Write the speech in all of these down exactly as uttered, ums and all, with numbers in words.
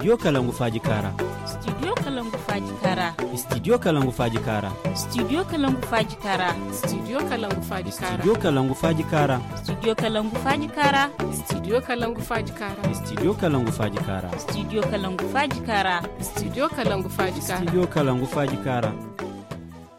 Studio Kalangu Faaji Kaara. Studio Kalangu Faaji Kaara. Studio Kalangu Faaji Kaara. Studio Kalangu Faaji Kaara. Studio Kalangu Faaji Kaara. Studio Kalangu Faaji Kaara. Studio Kalangu Faaji Kaara. Studio Kalangu Faaji Kaara. Studio Kalangu Faaji Kaara. Studio Kalangu Faaji Kaara. Studio Kalangu Faaji Kaara. Studio Kalangu Faaji Kaara.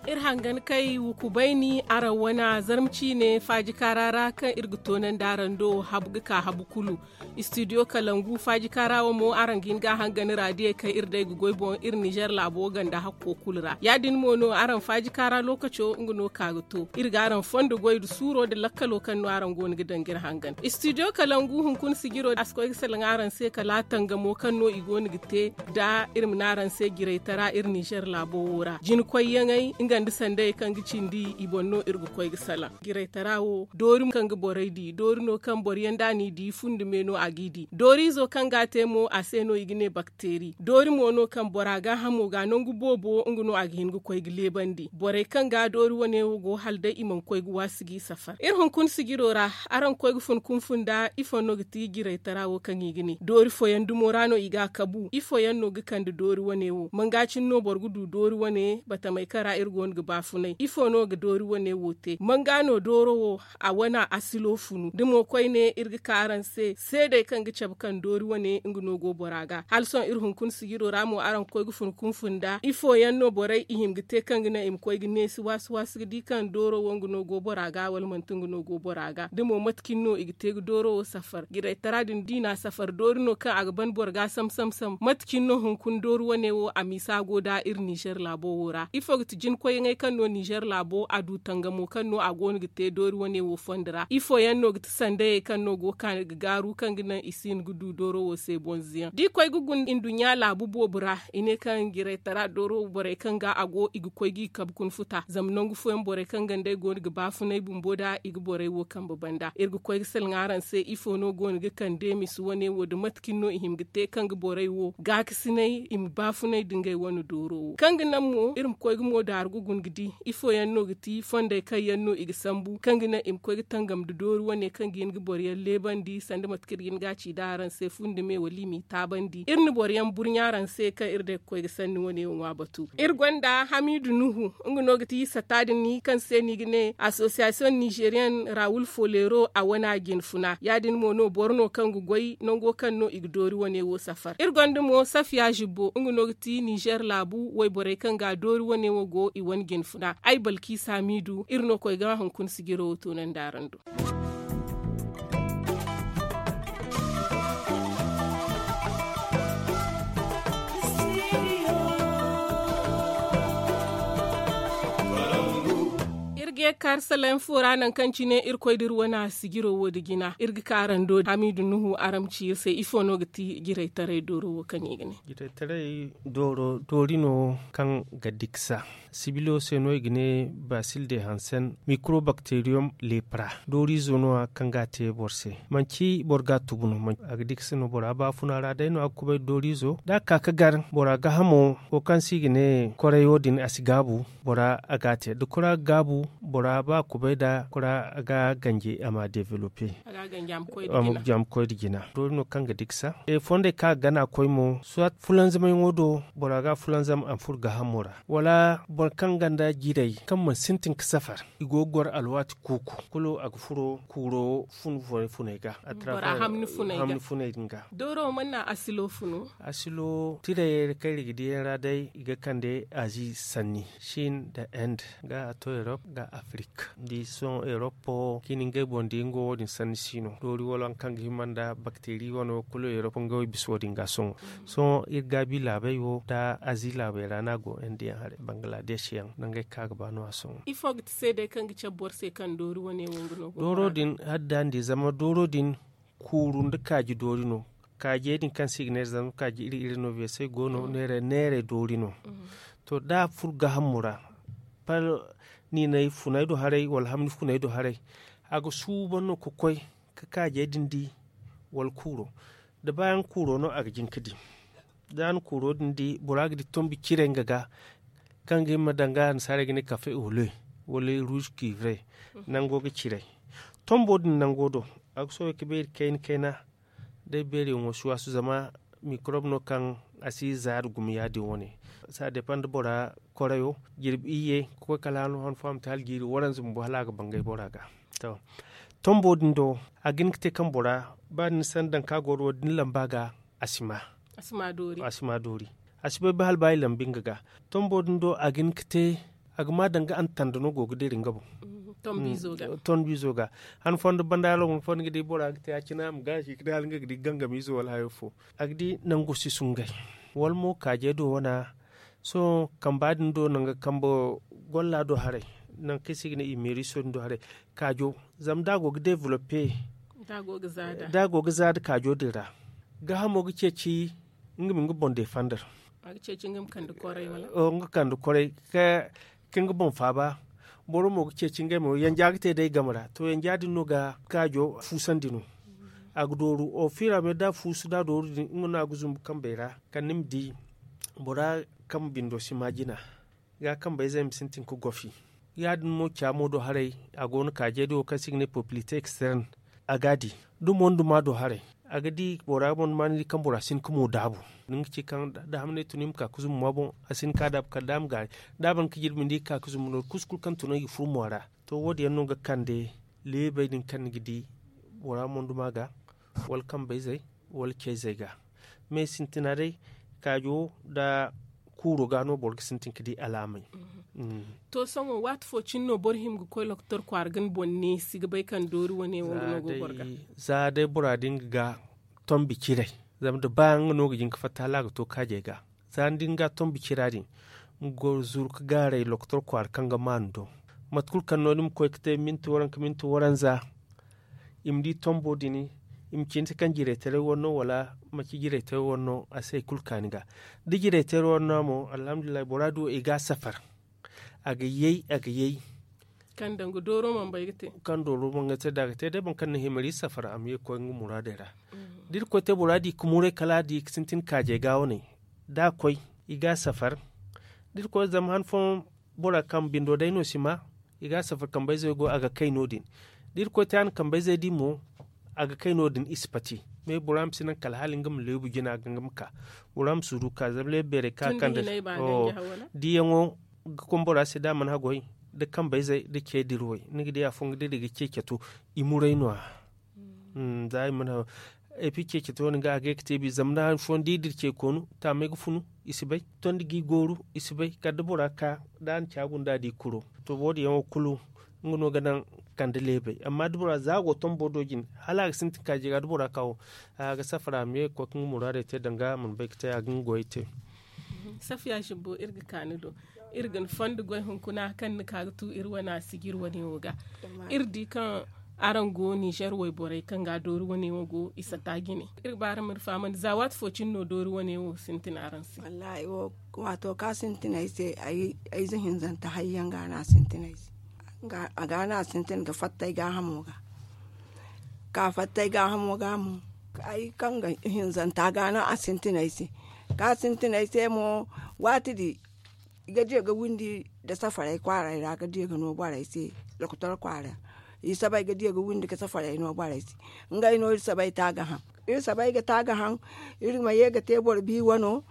Iri hangan kay wukubayni araŋ wane zarma ciine faaji kaara ra kaŋ iri ga toonandi araŋ do habu ga ka habu kulu. Studio Kalangu faaji kaara wo mo araŋ ga hin ga a hangan raadiyey kaŋ iri day ga goy boŋ iri Nizer laabo ganda hakko kulu ra. Ya- din mo no araŋ faaji kaara lookaco nga no ka ga to iri ga araŋ fondo goy nda suuro nda lakkalo kaŋ no araŋ go no ga daŋ ga iri hangan. Studio Kalangu hunkuna sijiro a si koy ga salaŋ araŋ se kala tangamo kaŋ no i go no ga te nda iri ma ne araŋ se jiraytara iri Nizer laabo wo ra jinkoyyaŋey nga nda sandayey kaŋ ga cindi i boŋ no iri ga koy ga salaŋ. Jiraytara wo doori kaŋ ga borey di doori no kaŋ boro yaŋ da a n'i di fundi me no a g'i di dooriizo kaŋ ga a te mo a se no i ga ne bakteeri doori mo no kaŋ bora gaahamo ga nangu boobo nga no a ga hin ga koy ga leebandi borey kaŋ ga doori wane wo go hala day i mana koy ga waasi g'i safar iri hunkuna sijiro ra. Araŋ koy ga fun kunfun nda ifo no ga ti jiraytara wo kaŋ i ga ne doori fooyaŋ dumo ra no i ga a kabu ifo yaŋ no ga kande doori wane wo manga cine no boro ga du doori wane batamey kaŋ ra iri go no ga baafunay ifo no ga doori wane wo te manga no dooro wo a wane asilo funu da mo koyne iri ga ka araŋ se seedey kaŋ ga cabe kaŋ doori wane nga no go bora ga hala sohõ iri hunkuna sijiro ra mo araŋ ga koy ga fun kunfun nda ifo yaŋ no borey i hima ga te kaŋ ga naŋ i ma koy ga neesi waasi waasi ga di kaŋ dooro wo nga no go bora ga wala manti nga no go bora ga da mo mate cine no i ga te ga dooro wo safar jiraytara din da i na a safar doori no kaŋ a ga ban boro ga sam sam sam mate cine no hunkuna doori wane wo a miisa go nda iri nizer laabo wo ra ifo ga ti jinkoyyaŋey kaŋ no nizer laabo a du tangamo kaŋ no a go no ga te doori wane wo fondo ra ifo yaŋ no ga ti sandayey kaŋ no go ga kaani ga gaaru kaŋ ga naŋ i si hin ga du dooro wo se bonze yaŋ da i koy ga guna nduɲɲa laabu boobo ra i ne kaŋ jiraytara dooro borey kaŋ ga a go i ga koy g'i kabe kuna futa zama nangu fooyaŋ borey kaŋ ganda i go no ga baafunay bumbo nda i ga borey wo kambe banda iri ga koy ga salaŋ araŋ se ifo no go no ga kande misi wane wo nda mate cine no i hima ga te kaŋ ga borey wo gaakasinay i ma baafunay nda ngey wane dooro wo kaŋ ga naŋ mo iri ma koy ga mo daaru ga guna ga di ifo yaŋ no ga ti fondey kaŋ yaŋ no i ga sambu kaŋ ga naŋ i ma koy ga tangam nda doori wane kaŋ ga hin ga boro yaŋ leebandi sanda mate kaŋ iri ga hin ga a ci nda araŋ se fundi me wala i m'i taabandi iri na boro yaŋ burɲa araŋ se kaŋ iri day ga koy ga sanni wane wo ŋwa batu iri gonda hamidu nuhu nga no ga ti sata din kaŋ se no i ga ne association nigerian raoul folero a wane a jinfuna ya- din mo no boro no kaŋ ga goy nango kaŋ no i ga doori wane wo safar iri gonda mo safiya zibbo nga no ga ti nizer laabu wayborey kaŋ ga doori wane wo go i wane jinfuna ay balkisa hamidu iri no koy ga hunkuna sijiro wo toonandi araŋ do iri ga ye ga kaari salaŋ fo ra nangu kaŋ cine irkoy da iri wane sijiro wo da jina iri ga ka araŋ do hamidu nuhu araŋ ma ci iri se ifo no ga ti jiraytaray dooro wo kaŋ i ga ne jiraytaray dooro doori no kaŋ ga diksa sibilo se no i ga ne basil de hansen microbacterium lepra dooriizo no- ya kaŋ ga a te boro se manci boro ga a tubu no a ga diksa no bora baafuna ra day no a ga kubay dooriizo da a ka ga gar bora gaahamo wo kaŋ se i ga ne korayo din a si gaabu bora a ga a te da kora ga gaabu bora ba a kubay nda kora ga ganje a ma develope a ma koy nda jina doori no kaŋ ga diksa fondey kaŋ a ga gana koy mo soit fulanzamyaŋo do bora ga fulanzam a ma furo gaahamo ra wala boro kaŋ gonda jiirey kaŋ mana sintin ga safar i go ga goro alwaati kuuku kulu a ga furo kuuro fun funay ga a travers hamni funay din ga dooro mana naŋ asilo funu asilo tirayey ra kaŋ iri ga di yaŋ ra day i ga kande azi sanni chin nda inde ga a to erop ga afrik da i sohõ erop chin ngey boŋ da i nga wo- din sanni si no doori wala waŋ kaŋ ga hima nda bakteri wane wo kulu erop ngey wo i bisa wo- din ga sohõ sohõ iri gaabi laabey wo nda azi laabey ra no a go inde yaŋ haray bangladesh yaŋ nangey kaŋ a ga ba no- ya sohõ ifo ga ti seedey kaŋ ga cabe boro se kaŋ doori wane wo nga no go dooro din hala da ni di zama dooro din kuuru nda kaaji doori no kaajey din kaŋ se i ga ne zama kaaji iri iri no veesey go no neerey neerey doori no to da a furo gaahamo ra pal niinay funay do haray wala hamni funay do haray a ga suuban no ga koy ga kaajey din di wala kuuro da baayaŋ kuuro no a ga jin ga di da a na kuuro din di bora ga di tombi cire nga ga kaŋ ga hima danga annasaarey ga ne kafe ole wala rouge cuivre nango ga ciray tombo din nango do a ga soobay ga beeri kayna kayna day beeriyaŋo si waasu zama Mikorob no kaŋ a si zaari gumo ya- din wane. Saa depan da bora korayo jirbi iyye ka koy kala han fo a ma te hala jiiri waranza bumbo hala a ga bangay bora ga. Tombo din do, a ga hin ga te kaŋ bora ba da ni sanda daŋ ka goro wo- din lamba ga, a si ma doori. A si bay ba hala ba i lambi nga ga. Tombo din do a ga hin ga te, a ga ma daŋ ga antanda no go ga diri nga boŋ. Tonbiizo ga han fondo banda hala wane fondo ga di bora ga te a cina a ma gaasi ga di hala nga ga di gangamiizo wala hayo fo. A ga di nangu si sungay wala mo kaaje do wana. Sohõ kamba din do nangu kambe golla do haray, nangu kaŋ i se ga ne i meeriso din do haray. Kaajo, zama da a go ga developpe, da a go ga za nda kaajo din ra, gaahamo ga ceeci nga ma nga boŋ deefandar. Nga kande kwaray ka nga boŋ faaba. Boro mo ga ceeci ngey mo yanja ga te day game ra to yanja din no ga kaajo fuusandi no. A ga dooru ofira me da a fuusu da a dooru din nga no a ga zumbu kambey ra kala ni ma di bora kaŋ bindo si ma jina. Ga kambayzey ma sintin ga gofi ya- din mo caamo do haray. A go no kaajey do kaŋ se i ga ne popilite externe. A ga a di da monduma do haray, a ga di bora monduma ni di kaŋ bora si hin ga mo daabu. Ni ga ci kaŋ da hamney tun i ma ka ga zumbu ma boŋ, a si hin ga ka daabu kala da a ma gaari. Da a ban ga jirbi ni di ga ka ga zumbu no- din kusu kulu kaŋ tun i ga furo mo ra. To wo- din yaŋ no ga kande leebey din kaŋ ni ga di bora monduma ga, wala kambayzey, wala cayzey ga. Me sintina day kaajo nda kuuro ga no boro ga sintin ga di alaamey. To sohõ waati fo cine no boro hima ga koy lokotor kwaara ga ni boŋ neesi ga bay kaŋ doori wane wo nga no go boro ga. Za day bora din ga ga tombi ciray, zama da ba nga no ga jin ga fatta hala a ga to kaajey ga. Za ni din ga tombi cira din, nga go zuru ga gaaray lokotor kwaara kaŋ ga maanu do. Mate kulu kaŋ no ni ma koy ga te minti waranka minti waranza, i ma di tombo din, i ma ci ni se kaŋ jiraytaray wane no wala manci jiraytaray wane no a si hari kulu ka ni ga. Da jiraytaray wane no mo alhamdulillahi bora di wo i ga a safar. A ga yay a ga yay. Kaŋ dooro mana bay ga te kaŋ dooro mana ga te da a ga te day boro kaŋ na himari safar a ma ye ga koy nga muraadey ra. Da irkoy te bora di ga muray kala a di ga sintin kaajey ga wane, da a koy i ga a safar. Da irkoy zama han fooyaŋ bora kaŋ bindo day no si ma, i ga a safar kambayzey go a ga kay no- din. Da irkoy te a na kambayzey di mo, a ga kay no- din i si pati. Me bora ma si naŋ kala hala nga ma leebu jina ga nga ma ka. Bora ma suuru ga ka zama leebu beerey kaŋ a kande. Diyaŋo ga koy bora se da a mana haggoy, da kambayzey da ce dirwey ni ga di afo nga dira ga ce cato. I muray no- ya. Za i mana haggoy. Epi ce cato wane ga a ga ye ga te bi zama da han fooyaŋ da i dira ce koonu taamey ga funu, i si bay. Tondi ga i gooru, i si bay kala da bora ka da a na caabu nda a di kuro. To wo- din yaŋo kulu nga no ga naŋ kande leebey amma da bora za a go tombo do jine, hala a ga sintin kaaji ga da bora ka wo, a ga safara a ma ye ga koy ga nga muraadey te danga a mana bay ga te a ga nga goyey te. Safiya zumbo iri ga ka ni do. Iri ga ni fondo goy hunkuna kaŋ ni ka ga tu iri wane a sijiri wane wo ga. Iri di kaŋ araŋ go nizer wayborey kaŋ ga doori wane wo go i sata jine. Iri ga ba araŋ ma iri fahamandi za waati fo cine no doori wane wo sintin araŋ se? Wallahi wo, waato kaŋ a sintin ay se, ay ze hinzanta hayyaŋ ga no a sintin ay se. A ga no a sintin ga fatta ay gaahamo ga. Ka fatta ay gaahamo ga mo, ay kaŋ ga hinzanta ga no a sintin ay se. Kaŋ a sintin ay se mo, waati di i ga diya ga windi nda safaray kwaaray ra ga diya ga no borey se. Lokotor kwaara i sabay ga diya ga windi ga safaray no borey se. Ngey no iri sabay ta ga haŋ. Iri sabay ga ta ga haŋ. Iri ma ye ga te boro bi wano.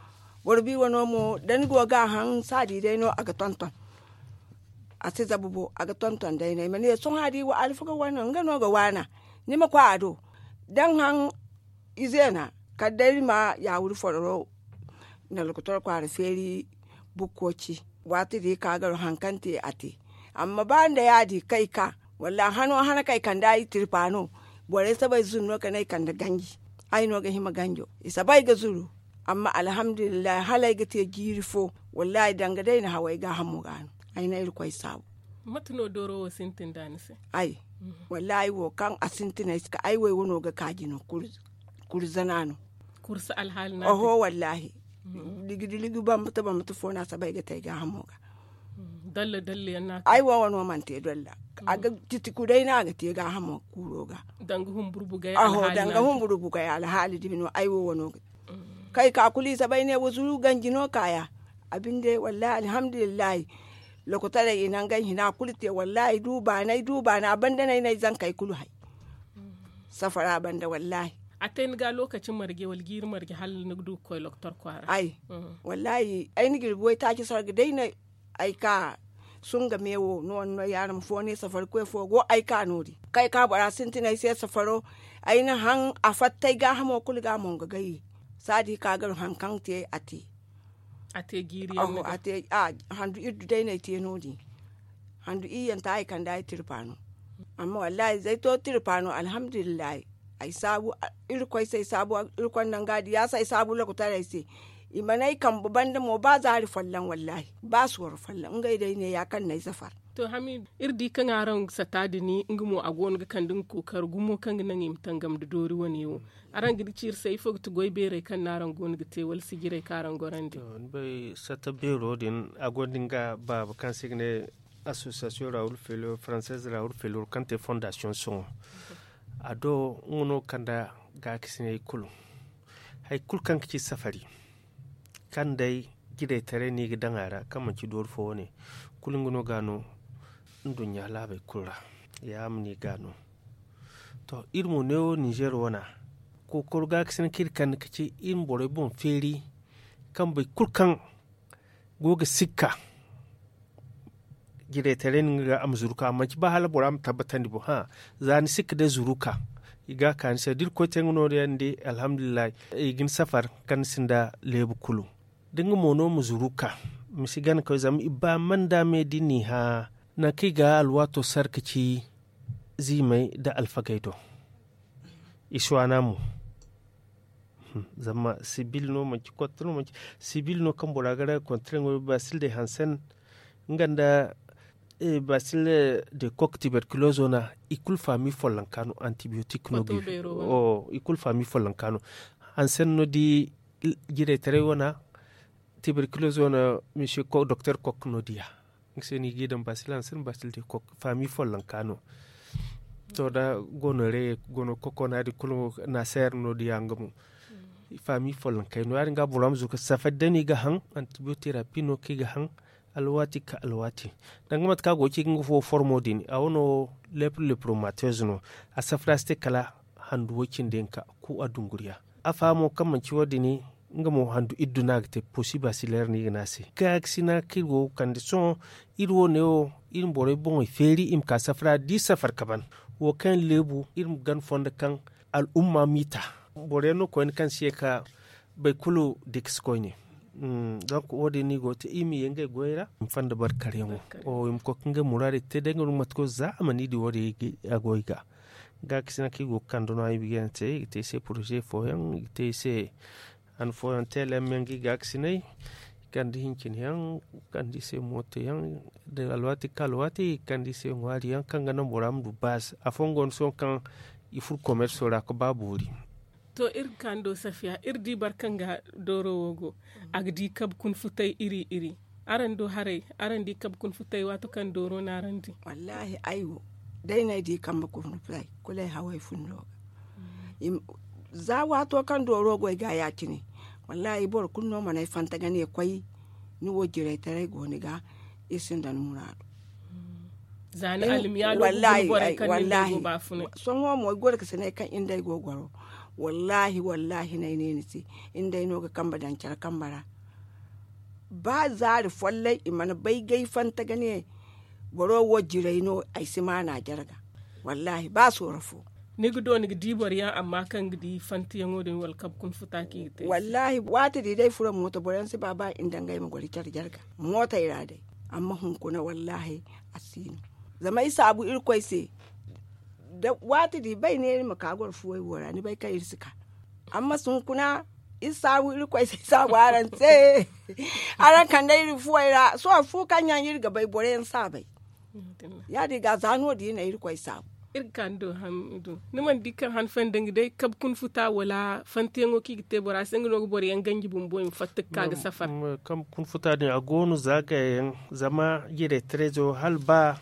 Boro bi wano mo da ni go ga a haŋ saadi day no a ga tonton. A si zabu bo a ga tonton day no ay ma ne sohõ a di alfaga wano nga no ga waana. Ni ma koy a do da ni haŋ. Izeena kala day ni ma yaawuri fororo. Nda lokotor kwaara feeri bukko ci. Waati di ka garo haŋ kaŋ te a te. Amma ba nda yaadi kay ka wallaahi hano hana kay kande ay tirpa no. Borey sabay zuru no kala ay kande ganji. Ay no ga hima ganjo i sabay ga zuru. Amma alhamdulillahi hala ay ga te jiiri fo. Wallaahi danga day na haw ay gaahamo ga no. Ay na irkoy saabu. Mate no dooro wo sintin da ni se? Ay wallaahi wo kaŋ a sintin ay se kala ay way wano ga kaaji no. Kuri zana no. Kursi alhaali no a te? Oho wallaahi. Ligi da ligi bambata bambata fo no a sabay ga te ay gaahamo ga. Dalla dalla yaŋ no a te? Ay wo wano mana te dalla. A ga titi kuday no a ga te gaahamo kuuro ga. Danga humburu bugay alhaali no a te? Oho danga humburu bugay alhaali dumi no ay wo wano ga te. Kay ka kulu i sabay ne wa zuru ganji no kaaya. A binde wallaahi alhamdulillahi. Lokotaray i nangay hina kulu te wallaahi du baanay du baana banda no ay na ay zankey kulu hay. Safara banda wallaahi. A te ni ga lokaci marje wala jiiri marje hala ni ga du ga koy loktor kwaara. Ay, wallaahi ay na jirbi waytaaci sarga day no ay ka sunga meewo no wane no yaadin fo ne safari koy fo go ay ka no- din kaŋ ay ka bora sintin ay se safaro. Ay na haŋ a fatta ay gaahamo kulu ga a mo nga gayi. Saadi ka gar haŋ kaŋ te a te. A te jiiri yaŋ no ga a te handu iri du day no ay te no- din. Handu iri yaŋ ta ay kande ay tirpa no. Amma wallaahi zay to tirpa no alhamdulillahi. Ay saabu irkoy se ay saabu irkoy nanga di ya se ay saabu lokutaray se. I mana ay kambe banda mo ba zaari folloŋ wallaahi ba sooro folloŋ ngey day ne ya kaŋ no ay safar. To hamiidu iri di kaŋ araŋ sata din nga mo a go no ga kande nga kookari gumo kaŋ ga naŋ i ma tangam nda doori wane wo. Araŋ ga di ciiri se ifo ga ti goy beerey kaŋ no araŋ go no ga te wala sijirey kaŋ araŋ gorandi? Ni bay sata beero din a gonda nga baaba kaŋ se i ga ne association raoul felor française raoul felor kaŋ te fondation sohõ. A do nga no kanda gaakasinay kulu hari kulu kaŋ ga ci safari kaŋ day jiraytaray no i ga daŋ a ra kaŋ manci doori fo wane. Kulu nga no ga no nduɲɲa laabey kulu ra. Ya ma no i ga no to iri mo neewo ninzeer wana kookoro gaakasinay kaŋ iri kande ka ci iri ma borey boŋ feeri kaŋ boro kulu kaŋ go ga sikka jiraytaray no nga ga a ma zuru ka manci ba hala bora ma tabbatandi boŋ. Za ni sikka day zuru ka i ga a ka ni se da iri koy te nga no- din alhamdulillahi. I ga ni safar kaŋ ni sinda leebu kulu da nga mo no ma zuru ka ma si gana koy zama i ba manda me da i n'i hã nangu kaŋ i ga alwaato sar ka ci ziimey nda alfagey do. I si waana mo zama sibil no manci kotte no manci sibil no kaŋ bora ga raga kontre ŋo basil de hansen nga nda basil de kok tiberkulozo na i kulu faami follonka no antibiyotik no ga i kulu faami follonka no. Hansen no di jiraytaray wana tiberkulozo na misiyo doktor kok no diya nga se no i ga i daŋ basil hansen basil de kok faami follonka no. To da gono re gono koko no- ya- din kulu naseer no- diya nga mo faami follonkey no- ya- din ga bora ma zuru ka safari day no i ga haŋ antibiyoterapi no kaŋ i ga haŋ alwaati ka alwaati. Danga mate kaŋ a go ga ci ga nga fo formo din a wano lepro lepromateuse no a safari a si te kala handu way cindi hinka ku a dunguriya. Afa mo kaŋ manci wo- din nga mo handu iddu no a ga te posi basileer no i ga ne a se gaakasina kaŋ iri go ga kande sohõ iri wo- ne wo iri ma borey boŋey feeri i ma ka safara da i safar ka ban wo kaŋ yaŋ leebu iri ma gana fondo kaŋ al'umma m'i ta. Boro yaŋ no koyne kaŋ si ye ka bay kulu dikasi koyne. Donk wo- din no i go ga te i ma ye ngey goyey ra i ma fanda barkaryaŋo i ma koy ka ngey muraadey te day nga no mate kulu za a mana i di wo- din a go i ga gaakasina kaŋ i go ga kande no a i ma ga yaŋ te i ga te i se poroze fooyaŋ i ga te i se han fooyaŋ teelem yaŋ ga i gaakasinay i kande hincin yaŋ i kande i se mooto yaŋ da alwaati ga ka alwaati i kande i se ŋwaari yaŋ kaŋ ga naŋ bora ma du baasi afooyaŋ go no sohõ kaŋ i furo komerso ra ga ba boori. To iri ga ka ni do safiya iri di boro kaŋ ga dooro wo go a ga di kabe kuna futay iri iri araŋ do haray araŋ di kabe kuna futay waato kaŋ dooro no araŋ di? Wallaahi ay wo day no ay di kambe kuna futay kulu ay haway fundo ga za waato kaŋ dooro go ay ga ya- cine. Wallaahi boro kulu no mana ay fanta ga ne koy ni wo jiraytaray go ni ga iri sinda ni muraadu. Za ni almiyaalo ga guna borey kaŋ ni nda ay go baafunay. Sohõ mo ay goro ga si ne kaŋ iri nda ay go goro wallaahi wallaahi no ay ne ni se iri nda ay no ga kambe daŋ care kambe ra. Ba zaari folloŋ i mana bay gay fanta ga ne boro wo jiray no ay si maana jarga. Wallaahi ba sooro fo. Ni ga do ni ga di boro yaŋ amma kaŋ ga di fantiyaŋo din wala kabe kuna futa kaŋ i ga te wallaahi waati di day furo mooto boro yaŋ si ba ba i nda ngey ma goro care jarga mootey ra day. Amma hunkuna wallaahi a si no. Zama ay saabu irkoy se waati di bay neeri ma ka goro fuwey wo ra ni bay kaŋ iri si ka. Amma hunkuna iri saabu irkoy se iri saabu araŋ se. Araŋ kande iri fuwey ra sohõ fu kaŋ yaŋ iri ga bay boro yaŋ si a bay. Ya- din ga za no- din no irkoy saabu. Iri ga ka ni do hamidu ni mana di kaŋ han fanda nga day kabe kuna futa wala fantiyaŋo kaŋ i ga te bora se nga no ga boro yaŋ ganji bumbo i ma fatta ga ka ga safar. Kabe kuna futa din a go no za gaya yaŋ zama jiray terezo hala ba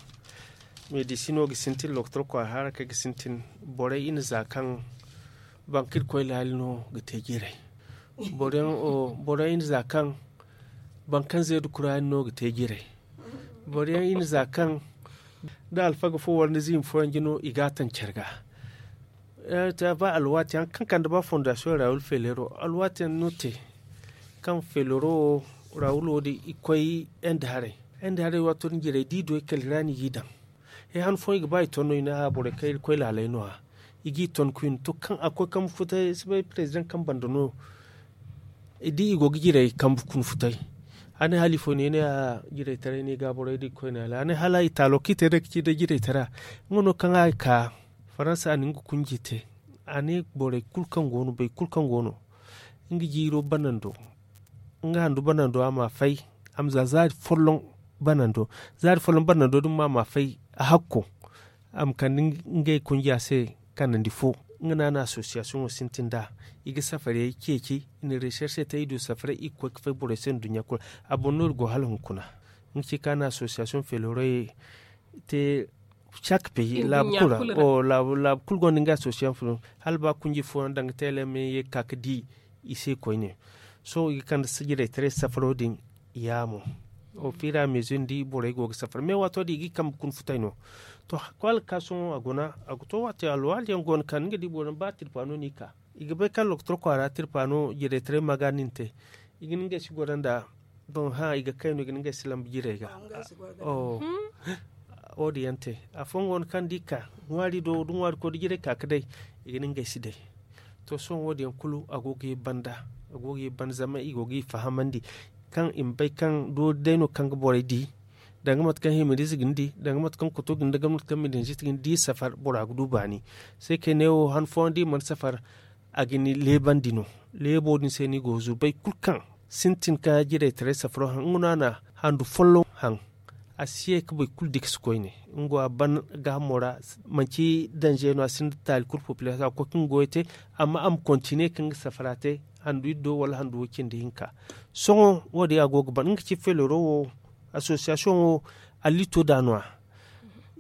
medisino ga sintin lokotor kwaara harakey ga sintin borey i na za kaŋ banka irkoy laali no ga te jiray. Boro yaŋ i na za kaŋ banka kaŋ zeedu kuraani no ga te jiray. Boro yaŋ i na za kaŋ da alfaga fo wala ni ziimi fooyaŋ jino i ga a taŋ care ga. Te a ba alwaati yaŋ kaŋ kande ba fondasiyoŋ raawul feelero alwaati yaŋ no te. Kaŋ feelero wo raawul wo din i koy ende haray. Ende haray waato din jirey da i du ay kala i ra no i g'i daŋ. He han fooyaŋ i ga ba i ton no i ne a borey kaŋ iri koy laaley no- ya. I g'i ton koyne to kaŋ a koy kambe futay si bay perezidaŋ kaŋ banda no. Da i go ga jirey kambe kuna futay. A ne hala ifo no i ne a jirey taray no i ga borey da i koyne hala a ne hala i taalo kaŋ i te day ga ci day jirey tara. Nga no kaŋ a ka faransa a na nga kunji te. A ne borey kulu kaŋ go no boro kulu kaŋ go no nga jiiro banando. Nga handu banando a ma fay a ma za zaari folloŋ banando. Zaari folloŋ banando din mo a ma fay a hakko. A ma kande ngey kunja se kanandi fo. Nga no a na asosiyasiyoŋo sintin nd'a. I ga safarey ceeci i na reserse te i du safarey i ga koy ga fay borey se nduɲɲa kulu. A boŋ no iri go hala hunkuna. Nga ci kaŋ a na asosiyasiyoŋ feelorey te. Cak peyi laabu kulu ra laabu kulu gonda nga asosiyasiyoŋ feelorey hala ba kunji fooyaŋ danga teele me ye ga ka ga di. I se koyne sohõ i ga kande sijirey taray safaro din. Yaamo ofira mezir ni di borey go ga safar me waato din i ga i kambe kuna futay no. To koy alkasoŋo a guna a ga to waati alwaali yaŋ go no kaŋ ni ga di boro ba tirpa no no i ka. I ga bay kaŋ lokotor kwaara tirpa no jirey taray ma ga nin te. I ga ni ngey si goro nda boŋ hã i ga kay no i ga ni ngey si lambu jirey ga. Wo- din yaŋ te afooyaŋ go no kaŋ da i ka ŋwaari do da ŋwaari koy da jirey ka ga day. I ga ni ngey si day. To sohõ wo- din yaŋ kulu a go ga ye banda a go ga ye banda zama i go ga i fahamandi. Kaŋ i ma bay kaŋ doori day no kaŋ ga borey di. Danga mate kaŋ himirize ga ni di danga mate kaŋ koto ga ni di danga mate kaŋ midanzit ga ni di safar bora ga du baani. Say kay ne wo han fooyaŋ da i mana safar. A ga ni leebandi no. Leebo din se no i go ga zurbay kulu kaŋ sintin ka jirey taray safaro haŋ nga no a na handu folloŋ haŋ. A si ye ga boro kulu dikasi koyne. Nga wo a ban gaahamo ra. Manci danze no a sinda taali kulu popilasiyoŋ a ga koy ga nga goyo te. Amma a ma kontiniye ga nga safara te handu iddo wala handu wo- cindi hinka. Sohõ wo- din a go ga ban nga ci feelero wo asosiyasiyoŋo. Allito da no- ya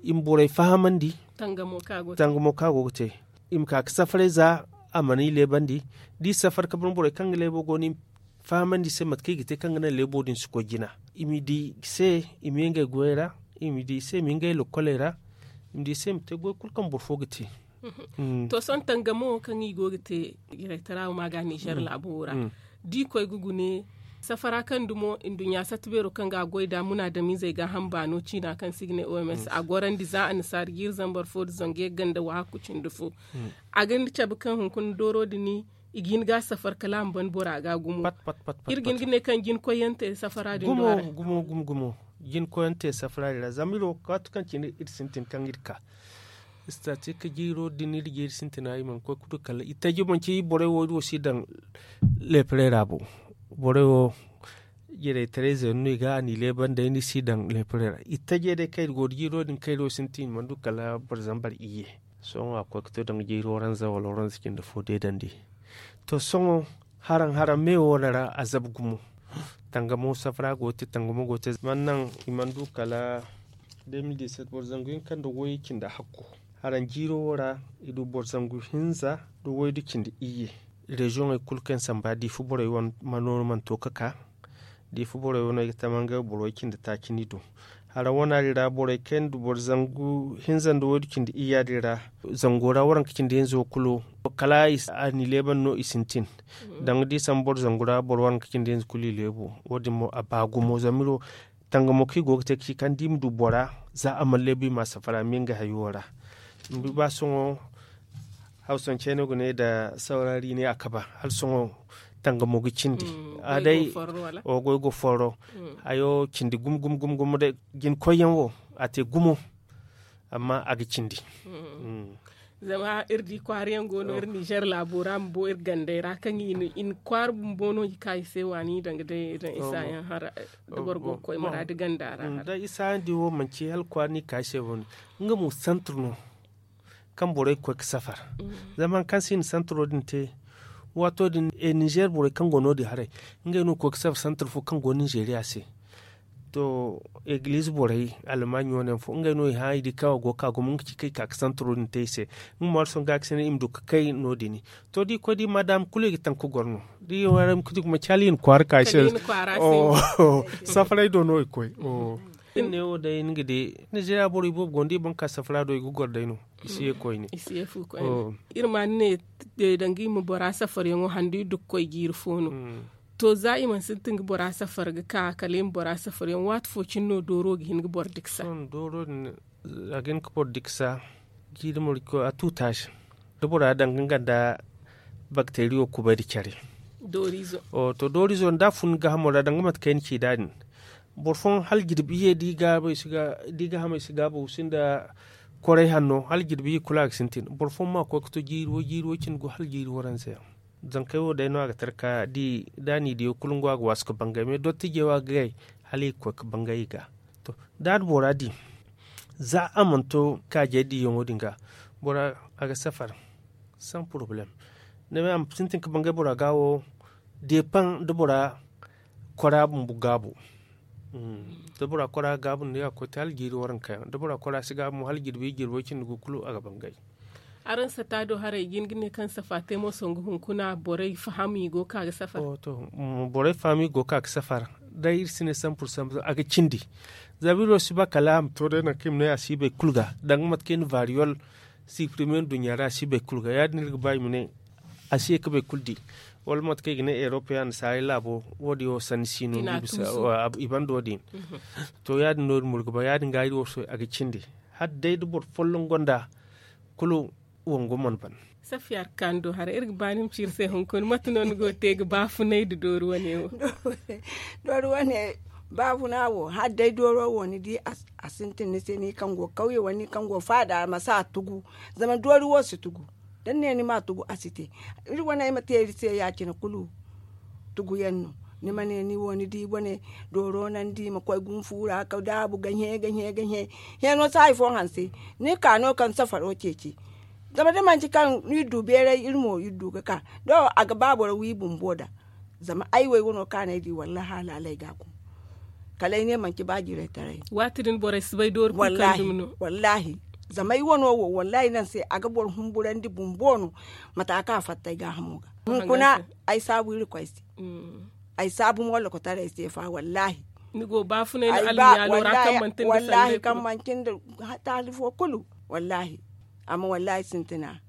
i ma borey fahamandi. Tangamo kaŋ a go ga te i ma ka ga safaray za a mana i leebandi. Da i safar ga ban borey kaŋ ga leebo go no i ma fahamandi i se mate kaŋ i ga te kaŋ ga naŋ leebo din si koy jina. I ma i di i se i ma ye ngey goyey ra. I ma di i se i ma ye ngey lokkoley ra. I ma di i se i ma te goy kulu kaŋ boro fo ga te. To sohõ tangamo wo kaŋ i go ga te jiraytara wo ma ga nizer laabo wo ra. Da i koy ga gune safara kaŋ dumo nduɲɲa satta beero kaŋ ga a goy nd'a munaadamizey gaaham baano ciina kaŋ se i ga ne oms a gorandi za annasaara jiiri zambar fo nda zangu yagga nda wahakku cindi fo. A ga ni cabe kaŋ hunkuna dooro din i ga hin ga a safar kala a ma ban bora ga gumo. Iri ga hin ga ne kaŋ jina koyyaŋ te safara din do a ra. Gumo gumo gumo gumo. Jina koyyaŋ te safara din ra zama iri wo kaati kaŋ cine iri sintin kaŋ iri ka. Istatik jiiro din iri ga iri sintina i mana koy ga du kala itaji manci borey wo iri wo si daŋ leeparey ra bo. Borey wo jiraytaray zeenu no i ga a n'i leebandi ay ni si daŋ leeparey ra itajey day kaŋ iri go da jiiro din kaŋ iri wo sintin i mana du kala boro zambar iyye. Sohõ a koy ga to daŋ jiiro ranza wala ranza cindi fo deedandi. To sohõ haraŋ haraŋ me wo no ra a zabu gumo. Tangamo safara go ga te tangamo go ga te zama naŋ i mana du kala de mil diset boro zangu hinka nda wayye cindi hakko. Haraŋ jiiro wo ra i du boro zangu hinza nda waydu cindi iyye. Reziyoŋey kulu kaŋ samba diifa borey wane ma nooru mana to ga ka. Diifa borey wane ay ga tama ngey boro way cindi taaci no i du. Haraŋ wana din ra borey kaŋ yaŋ du boro zangu hinza nda waydu cindi iyya din ra. Zango ra waranka cindi hinza wo kulu kala a n'i leeban no i sintin. Danga da i samba boro zangu ra boro waranka cindi hinza kulu i leebu. Wo- din mo a ba gumo zama iri wo tangamo kaŋ i go ga te ga ci kaŋ da i ma du bora za a mana leebu i ma a safara ma ye nga hayo ra. Ni di ba sohõ hawsancey no ga ne nda sawrari ne a kaba hala sohõ tangamo ga cindi. A day goy go forro hayo cindi gumo gumo gumo day jina koyyaŋ wo a te gumo. Amma a ga cindi. Zama iri di kwaara yaŋ go no iri nizer laabo ra bumbo iri gandey ra kaŋ i na kwaara bumbo no i ka i se waani danga day iri na isa yaŋ hara da boro go ga koy muraadu ganda ra. Da isa yaŋ di wo manci hala kwaara no i ka i se bo no. Nga mo santir no kaŋ borey ga koy ga safar. Zama hari kaŋ se i na santiro din te waato din nizer borey kaŋ go no- din haray ngey no ga koy ga safar santir fo kaŋ go ninzeriya se. To egiliize borey almaaɲi wane yaŋ fo ngey no i hã i di kaŋ a go ga ka gumo nga ci kaŋ i ka ga santiro din te i se. Nga mo hala sohõ ga ga se no i ma du ga kay no- din. To da i koy da i ma daama kulu i ga taŋ ga goro no da i wane ra i ma ga di gumo caali i na kwaara ka i se. Safaray do no i koy. Iri ne wo day ni ga di nizeeriya borey boobo go no da i ban ka safara do i ga goro day no. I si ye koyne. Iri ma ni ne danga i ma bora safaryaŋo handu i du ga koy jiiri fo no. To za i mana sintin ga bora safar ga ka kala i ma bora safaryaŋ waati fo cine no dooro ga hin ga boro diksa. A ga hin ga boro diksa. Jiiri mariko a tuuta se da bora danga nga nda bakteriyo kubay da care. To doorizo nda a fun ni gaahamo ra danga mate kaŋ ay na ci nd'a din. Boro fooyaŋ hala jirbi iyye da i gaahamey si gaabu sinda koray hanno hala jirbi iyye kulu a ga sintin boro fooyaŋ ma koy ga to jiiri wo jiiri wo cindi go hala jiiri waranza yaŋ. Zankey wo day no a ga tara ka di da a n'i diyo kulu nga wo a ga waasu ga bangay mais dottijey wo a ga gay hala i ga koy ga bangay i ga. To da a na bora di za a mana to kaajey diyaŋo din ga bora a ga safar. Sans problème. Ni bay a ma sintin ga bangay bora ga wo deepaŋ da bora kora bumbo gaabu. Da bora kora gaabu no ni ga koy te hala jiiri waranka yaŋ da bora kora si gaabu mo hala jirbi jirbo cindi go kulu a ga bangay. Araŋ sata do haray i ga hin ga ne kaŋ safa te mo songu hunkuna borey faham i go ga ka ga safar. Borey faham i go ga ka ga safar. Day iri si ne sampur sampur a ga cindi. Zama iri wo si ba kala a ma to day nangu kaŋ i ma ne a si bay kulu ga danga mate kaŋ i na variyol siprime nduɲɲa ra a si bay kulu ga ya- din iri ga ba i ma ne a si ye ga bay kulu di. Wala mate kaŋ i ga ne erope ya nasaarey laabo wo- din wo sanni si no. I banda wo- din. To ya- din no iri mo iri ga ba ya- din ga iri wo sohõ a ga cindi. Hala day da boro folloŋ gonda kulu wango mana ban. Safiya arkaani do haray iri ga ba ni ma ci iri se hunkuna mate no ni go ga te ga baafunay nda doori wane wo? Doori wane baafuna wo hala day dooro wo ni di a sintin ni se ni kaŋ go kawye wala ni kaŋ go faada ma si a tugu. Zama doori wo si tugu da ni ne ni ma a tugu a si te. Iri wane ay ma te iri se ya- cine kulu tuguyaŋ no. Ni ma ne ni wo ni di wane dooro naŋ di ma koy gunfu ra ga daabu ga hẽ ga hẽ ga hẽ. Hẽeno si hari fo hanse ni ka no kaŋ safaro ceeci. Zama da manti kaŋ iri du beeray iri mo iri du ga ka do a ga ba boro wi bumbo da. Zama ay wo ay wano kaŋ a na ay di wallahi a laalay ga a gum. Kala ay ne manti ba jiraytaray. Waati din borey si bay doori kulu kaŋ dumi no. Wallahi zama ay wano wo wallahi naŋ se a ga boro humburandi bumbo no. Mate a ka fatta ay gaahamo ga hunkuna ay saabu iri koy se. Ay saabu mo lokotaray se fa wallahi. Ni go baafunay no almiyaalo ra kaŋ manti nda salley kulu. Kaŋ manti nda taali fo kulu. Wallahi amma wallahi sintina.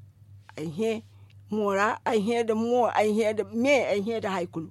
Ay hẽ moora ay hẽ nda mo ay hẽ nda me ay hẽ nda hari kulu.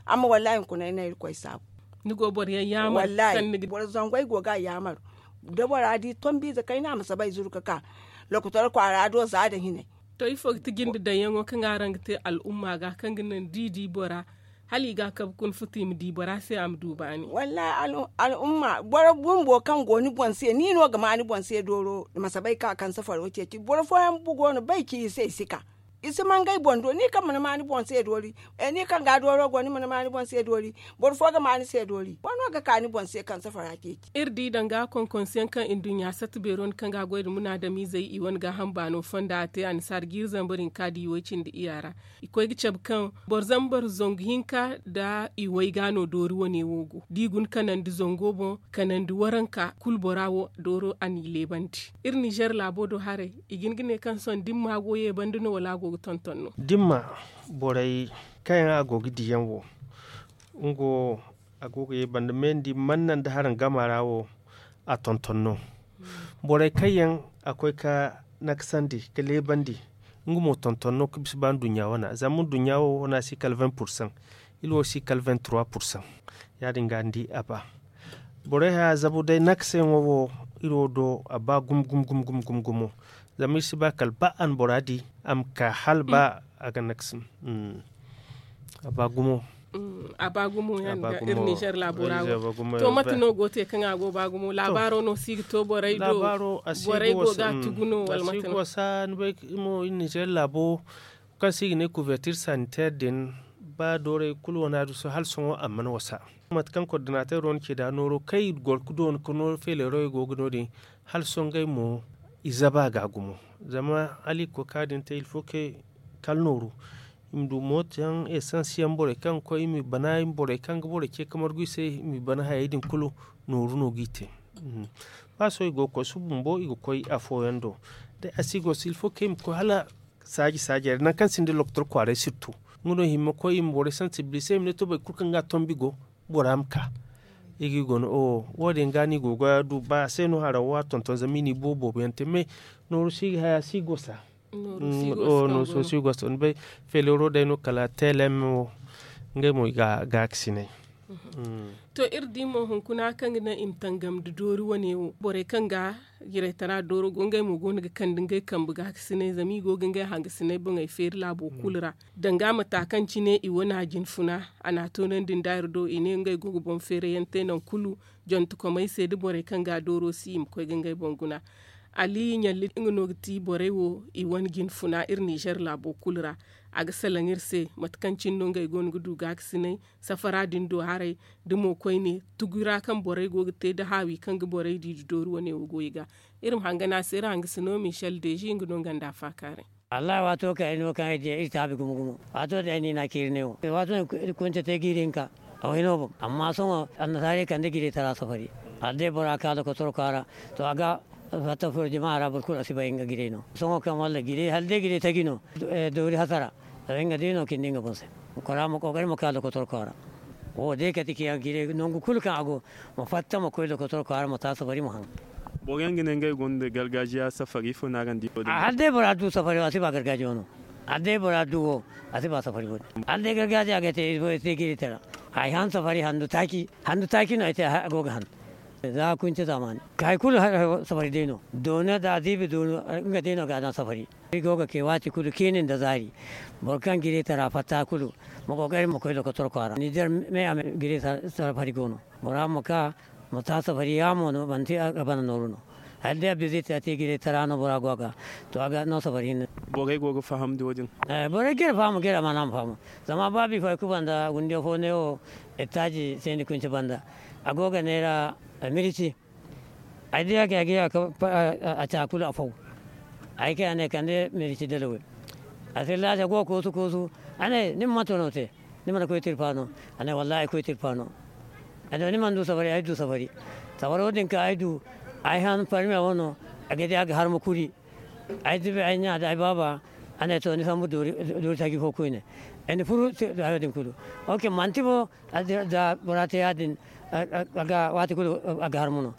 Amma wallahi hunkuna ay na irkoy saabu. Ni go boro yaŋ yaamar wallahi boro zangu ay go ga a yaamar. Da bora di tombiize kayna a ma saba ay zuru ga ka lokotor kwaara do za nda hinay. To ifo ga ti jinde daŋyaŋo kaŋ araŋ ga te al'umma ga kaŋ ga naŋ da i di bora hala i ga a kabe kuna futu i ma di bora se a ma du baani? Wallahi al'umma boro bumbo kaŋ go ni boŋ se ni no ga ma ni boŋ se dooro ma si bay ka kaŋ safaro ceeci boro fooyaŋ bumbo go no bay ci i se i si ka. I si mangay boŋ do ni kaŋ mana ma ni boŋ se doori. Ni kaŋ ga dooro go ni mana ma ni boŋ se doori. Boro fo ga ma ni se doori wa no ga ka ni boŋ se kaŋ safara ceeci. Iri di danga konkonsiyaŋ kaŋ nduɲɲa sata beero ni kaŋ ga a goy nda munaadamizey i wane gaaham baano fonda a te annasaara jiiri zambar hinka da i way cindi iya ra. I koy ga cabe kaŋ boro zambar zangu hinka nda i way ga no doori wane wo go da i guna kanandi zango boŋ kanandi waranka kulu bora wo dooro a n'i leebandi. Iri nizer laabo do haray i ga hin ga ne kaŋ sohõ dimma go ye banda no wala a go ga tonton no? Dimma borey kaŋ yaŋ a go ga di yaŋ wo nga wo a go ga ye banda me ni di mana naŋ da haraŋ gama ra wo a tonton no. Borey kaŋ yaŋ a koy ga nakasandi ga leebandi nga mo tonton no ga bisa ba nduɲɲa wana zama nduɲɲa wo wana si kala vingt pourcent. Iri wo si kala vingt trois pourcent. Ya- din ga ni di a ba borey haya zabu day nakasayaŋo wo iri wo do a ba gumo gumo gumo gumo gumo zama iri si ba kala ba a na bora di a ma ka hala ba a ga nakasi. A ba gumo. A ba gumo ya- din ga iri nizer laabo ra wo. To mate no go te kaŋ a go ba gumo laabaaro no si ga to borey do? Borey go ga a tugu no wala mate no? Wasa ni bay mo iri nizer laabo kaŋ se i ga ne couverture sanitaire din ba doorey kulu wana du hala sohõ a mana wasa. Mate kaŋ coordinateur wo na ci nd'a nooro kaŋ i goro ga doona ka nooro feeleero i go ga no- din hala sohõ ngey mo i zaba ga gumo. Zama hala i ga koy ka din te il faut que kala nooru i ma du mooto yaŋ essence yaŋ borey kaŋ ga koy i ma i bana borey kaŋ ga borey ce ga margu i se i ma i bana hayey din kulu nooru no g'i te. Ba sohõ i go ga koy suba bumbo i ga koy afooyaŋ do day a si go se il faut que i ma koy hala saaji saajey ra nangu kaŋ sinda lokotor kwaaray sirtu. Nga no i hima koy i ma borey sansibilise i ma ne to boro kulu kaŋ ga tombi go bora ma ka. I ga i guna wo- wo- din ga no i go ga du ba a se no haraw wo a tonton zama i n'i boobo boobo yaŋ te me. Nooru si ga haya si gosa. Nooru si gosa ni bay. Feelero day no kala teelem wo ngey mo i ga gaakasinay. To iri di mo hunkuna kaŋ ga naŋ i ma tangam nda doori wane wo borey kaŋ ga jiraytara dooro go ngey mo go no ga kande ngey kambe gaakasinay zama i go ga ngey hangasinay boŋey feeri laabo kulu ra. Danga mata kaŋ cine i wane a jinfuna a n'a toonandi nda iri do i ne ngey go ga boŋ feerayaŋ te nangu kulu jontekomey se nda borey kaŋ ga a dooro si i ma koy ga ngey boŋ guna. Ali ɲalli nga no ga ti borey wo i wane jinfuna iri ninzeer laabo kulu ra. A ga salaŋ iri se mate kaŋ cine no ngey go no ga du gaakasinay safara din do haray da mo koyne tugu ra kaŋ borey go ga te nda haawi kaŋ ga borey di nda doori wane wo go i ga. Iri ma hangan a se iri hangasino michel deezi nga no nga nda a faakaaray. Wallahi waato kaŋ ay no kaŋ ay di iri taabi gumo gumo waato din ay no i n'a ciiri ne wo waato din kunce te jiiri hinka. A way no boŋ amma sohõ annasaarey kande jiray tara safari. Hala day bora ka lokotor kwaara to a ga fatta furo jama ra boro kulu a si bay nga jiray no sohõ kaŋ walla jiray hala day jiray taji no. Doori hasara nga day no cindi nga boŋ se. Kora ma kookari ma ka lokotor kwaara. Wo day kati ciyaŋ jiray nangu kulu kaŋ a go ma fatta ma koy lokotor kwaara ma ta safari ma haŋ. Boro yaŋ ga ne ngey gonda gargajiya safari ifo no araŋ di wo din? Hala day bora du safari wo a si ba gargajiya no. Hala day bora du wo a si ba safari wo din hala day gargajiya ga te jiray tara. Ay han safari handu taaci handu taaci no ay te a go ga han. Za kunce zaamaani ka hari kulu safari day no doona da ziibi doona nga day no ga a daŋ safari. Iri go ga ke waati kulu ciini nda zaari. Boro kaŋ jiray tara fatta kulu ma kookari ma koy lokotor kwaara ninzeer me a me jiray safari go no. Bora ma ka ma ta safari yaamo no manti a ga bana nooru no. Hala day a biziti a te jiray tara no bora go a ga to a ga no safari hinne. Borey go ga faham da wo- din? Borey ga iri faham ga iri amaana ma faham. Zama ba bifo ay kuba nda gundiyo fo ne wo ettaaji seeni kunci banda a go ga neera mirici. Ay di a ga a ga a ca kulu a faw. Ay kay a ne kande mirici dalawey. A sillaaci a go ga koosu koosu. A ne ni ma manto no te? Ni mana koy tirpa no? A ne wallahi ay koy tirpa no. A ne ni mana du safari ay du safari. Safaro din kaŋ ay du ay han parmiya wo no. A ga di a ga harma kuri. Ay zibi ay ɲa nda ay baaba. A ne to ni sambu doori taji fo koyne. Ay na furu hayo din kulu. Ok manti mo. Za bora te ya- din a ga waati kulu a ga harma no.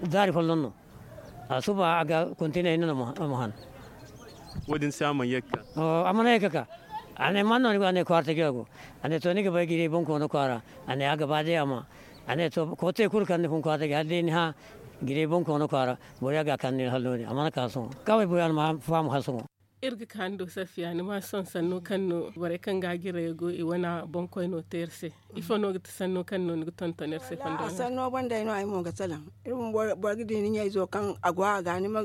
Zaari folloŋ no. A suba a ga kontinay no no ma han. Wo- din se a mana ye ga ka. A mana ye ga ka. A ne man no ni go a ne kwaara taji a go. A ne to ni ga bay jiray bonkoono kwaara. A ne a ga ba day a ma. A ne to koote kulu kaŋ ni fun kwaara taji hala day ni hã jiray bonkoono kwaara. Boro ya ga a kaŋ ni hala no- din a mana ka sohõ. Kaway boro ya na ma faamu hala sohõ. Iri ga ka ni do safiya ni ma sohõ sanno kaŋ no borey kaŋ ga a jiray go i wane boŋkoyno te iri se. Ifo no ga ti sanno kaŋ no ni ga tonton iri se fondo ra? Sanno boŋ day no ay mo ga salaŋ. Iri bumbo boro ga di ni ɲayzo kaŋ a go a ga ni ma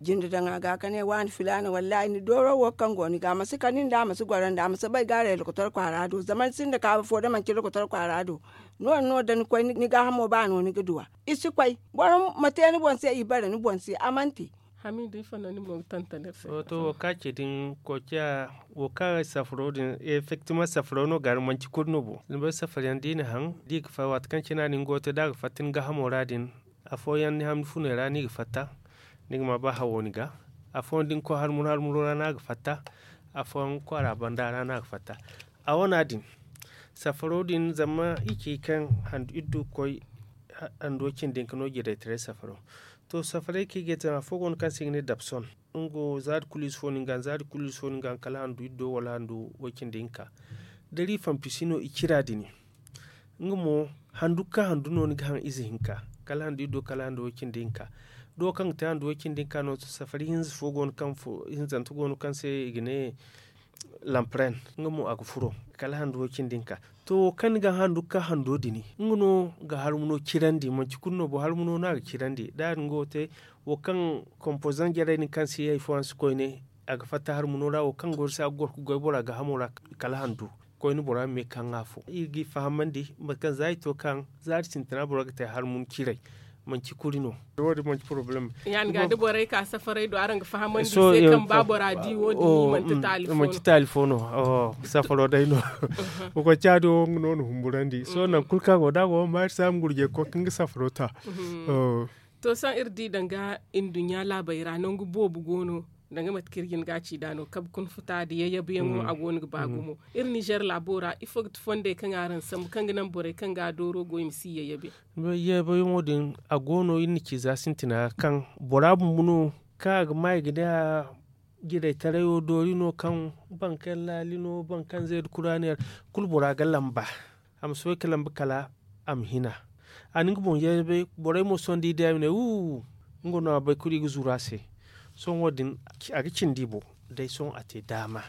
jinde daŋ a ga ka ne waani filaana wallaahi ni dooro wo kaŋ go ni ga a ma si kani nda a ma si goro nda a ma si bay gaaray lokotor kwaara do zama ni sinda kaabu fo da manci lokotor kwaara do. Noodin no da ni koy ni gaahamo ba no ni ga duw'a. I si koy boro ma te ni boŋ se i bare ni boŋ se a mana te. Hamidu ifo no ni mo ga tonton iri se? To wo kaŋ a ce din koociya wo kaŋ safaro din effectivement safaro no ga a ra manci kulu no bo ni bay safar yaŋ da i na haŋ da i ga fay waati kaŋ cine a na ni go ga te da a ga fatta ni gaahamo ra din. Afooyaŋ ni ham ni funey ra no i ga fatta. Ni ga ma ba hawo ni ga. Afooyaŋ da ni koy harmur harmuro ra no a ga fatta. Afooyaŋ kwaara banda ra no a ga fatta. A wana din safaro din zama i ci kaŋ handu iri du ga koy handuwo cindi hinka no jiraytaray safaro. To safaray kaŋ i ga te afo go no kaŋ se i ga ne dabson. Nga wo zaari kulu ize fo no nga zaari kulu ize fo no nga kala handu iddo wala handu way cindi hinka. Da iri fanfisi no i cira din nga mo handu ka handu no ni ga haŋ ize hinka kala handu iddo kala handu way cindi hinka. Da wo kaŋ ga te handu way cindi hinka no safari hinza fo go no kaŋ hinzanta go no kaŋ se i ga ne lampren nga mo a ga furo kala handu way cindi hinka. To wo kaŋ ni ga handu ga ka hando din nga no ga harmuno cirandi manci kulu no bo harmuno no a ga cirandi da ya- din go te. Wo kaŋ kompozaŋ jarey din kaŋ si ye hari fooyaŋ si koyne a ga fatta harmuno ra wo kaŋ go iri se a ga goro ga goy bora gaahamo ra kala handu. Koyne bora ma me ga kaŋ afo iri g'i fahamandi mate kaŋ za i to kaŋ za iri sintina bora ga te harmun ciray. Manci kuri no. Wo- din manci poroblem. Ya- din ga da borey ka safaray do araŋ ga fahamandi se kaŋ ba bora di wo- din manci taali fo no. Safaro day no. Wo koy caadi wo nga no na humburandi sohõ nangu kulu kaŋ a go da a go ma iri se a ma gurjey ga koy ka nga safaro ta. To sohõ iri di danga nduɲɲa laabey ra nangu boobo go no. Danga mate kaŋ iri ga ni ga a ci nd'a no kabe kuna futa nda yayyabuyaŋo a go no ga ba gumo. Iri nizer laabo ra ifo ga ti fondey kaŋ araŋ sambu kaŋ ga naŋ borey kaŋ ga dooro go i ma si yayyabe? Yayyabuyaŋo din a go no iri na ci za sintina ra kaŋ bora bumbo no kaŋ a ga ma i ga ne a jiraytarayo doori no kaŋ boro kaŋ laali no boro kaŋ zeeda kuraani ra kulu bora ga lamba. A ma soobay ka lamba kala a ma hina. A na nga boŋ yeebay borey mo sohõ da i di a i ma ne wuu. Nga no a bay kulu i ga zuru a se. Sohõ wo- din a ga cindi i boŋ. Day sohõ a te daama.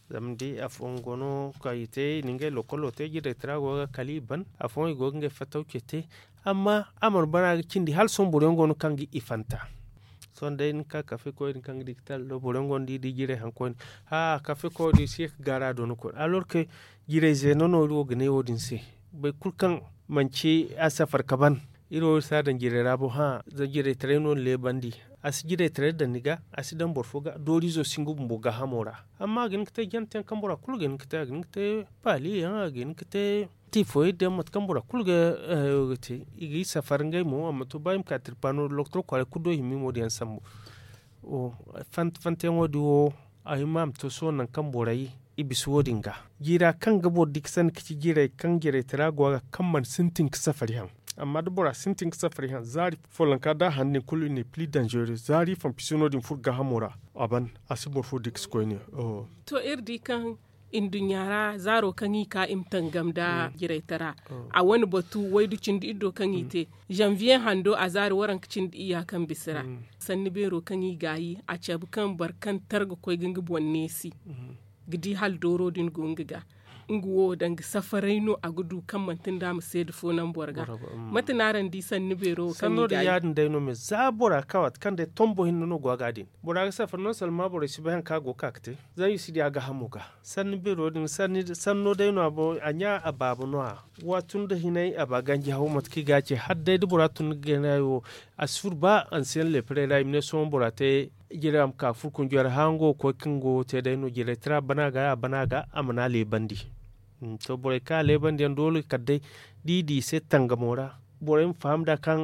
Zama ni di afooyaŋ go no kaŋ i te i na ngey lokolo te jiraytara go ga kala i ban afooyaŋ i go ga ngey fattawce te. Amma a mana ban a ga cindi hala sohõ boro yaŋ go no kaŋ ga i fanta. Sohõ day ni ka kafe koy din kaŋ ga di ga tala do boro yaŋ go no da i di jiray haŋ koyne. Haa kafe koy din si ye ga gaara a do no koyne alors que jiray zeeno no iri wo ga ne wo- din se. Boro kulu kaŋ manci a safar ka ban iri wo iri si a daŋ jiray ra boŋ hã. Zama jiraytaray no ni leebandi. A si jiraytaray daŋ ni ga a si daŋ boro fo ga dooriizo si nga bumbo gaahamo ra. Amma a ga hin ga te janteyaŋ kaŋ bora kulu ga hin ga te a ga hin ga te paali yaŋ a ga hin ga te tiifoyey daŋ mate kaŋ bora kulu ga te i ga i safar ngey mo a ma to ba i ma ka tirpaano lokotor kwaaray kulu do i hima i mo din yaŋ sambu. Fantayaŋo din wo a hima a ma to sohõ nangu kaŋ borey i bisa wo- din ga jiira kaŋ ga boro di ga sanni ga ci jiirey kaŋ jiirey tara go a ga kaŋ mana sintin ga safari haŋ. Amma da bora sintin ga safari haŋ zaari follonka da a haŋ din kulu i ne pli danzere zaari fanfisino din furo gaahamo ra a ban a si boro fo di ga si koyne. To iri di kaŋ nduɲɲa ra zaaro kaŋ i ka i ma tangam nda jiraytara a wane batu waydu cindi iddo kaŋ i te zanviye hando a zaari waranka cindi iyya kaŋ bisa ra. Sanni beero kaŋ i gaayi a cabe kaŋ boro kaŋ tara ga koy ga nga boŋ neesi ga di hala dooro din go nga ga nga wo danga safaray no a ga du kaŋ manti nda a ma seeda fo naŋ boro ga. Mate no araŋ di sanni beero wo kaŋ i gaayi? Sanno din ya- din day no me za bora ga ka waati kaŋ day tombo hinne no go a ga din bora ga safar non salma borey si bay hari kaŋ a go ga ka ga te. Zama i si di a gaahamo ga sanni beero din sanno day no a ɲa a baaba no- ya. Wa tun da hinay a ba ganji haw mate kaŋ i ga a ce hala day da bora tun ga gaynayo a si furo ba ansiyaŋ leeparey ra i ma ne sohõ bora te. Jiray a ma ka furo kunjey ra hala nga wo ga koy kaŋ go ga te day no jiray tira bana ga a bana ga a mana a leebandi. To borey kaŋ a leebandi yaŋ doole kala day da i di i se tangamo ra borey ma faham nd'a kaŋ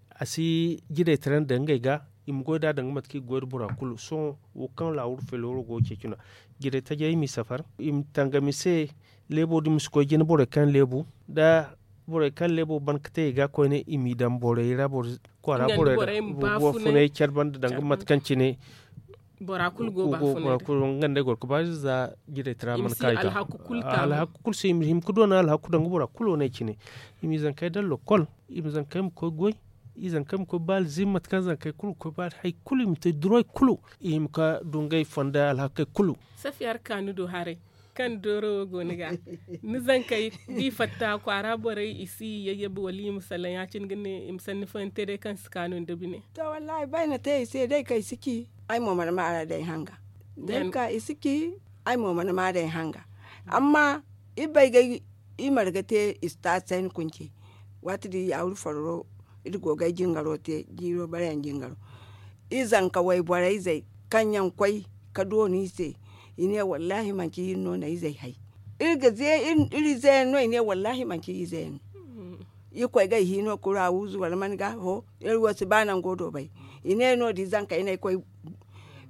a si jiray tira nda ngey ga i ma goy nd'a danga mate kaŋ i ga goy nda bora kulu sohõ. Wo kaŋ laawuru felooro go ga ceeci no jiray tajey i m'i safar i ma tangam i se. Leebo din ma si koy jina borey kaŋ leebu da borey kaŋ leebo ban ga te i ga koyne i m'i daŋ borey ra kwaara borey ra funay care banda danga mate kaŋ cine. Bora kulu go ba funay da nga nd'ey goro ga ba za jiray tira mana ka i ga alhaku kulu se i ma hima ga doona alhaku danga bora kulu wane cine. I m'i zankey daŋ lokol i ma zankey ma koy goy i zankey ma koy baali zimma mate kaŋ zankey kulu ga koy baali hari kulu i ma te duroy kulu i hima ga du ngey fonda alhakey kulu. Safiya ra ka ni du haray kaŋ dooro wo go ni ga ni zankey da i fatta kwaara borey i si yayyabe wala i ma salaŋ ya- cine ga ne i ma sanni fooyaŋ te day kaŋ si kaanu nda bine. To wallaahi ba ay na te i se day kaŋ i si ci ay mo mana maar'a day hanga. Day ka i si ci ay mo mana maar'a day hanga. Amma i bay ga i marga te i si taasi ay na kunce. Waati din yaawuri farro iri go ga ay jingaro te jiiro bare yaŋ jingaro. I zanka wayborey zey kaŋ yaŋ koy ka dooni i se. I ne wallaahi manci iri no na izey hay. Iri ga ze iri ize yaŋ no i ne wallaahi manci ize yaŋ no. Iri koy ga ay hiino kuru a wuzu wala man ga ho iri wo si ba nango do bay. I ne no- din zankey no ay koy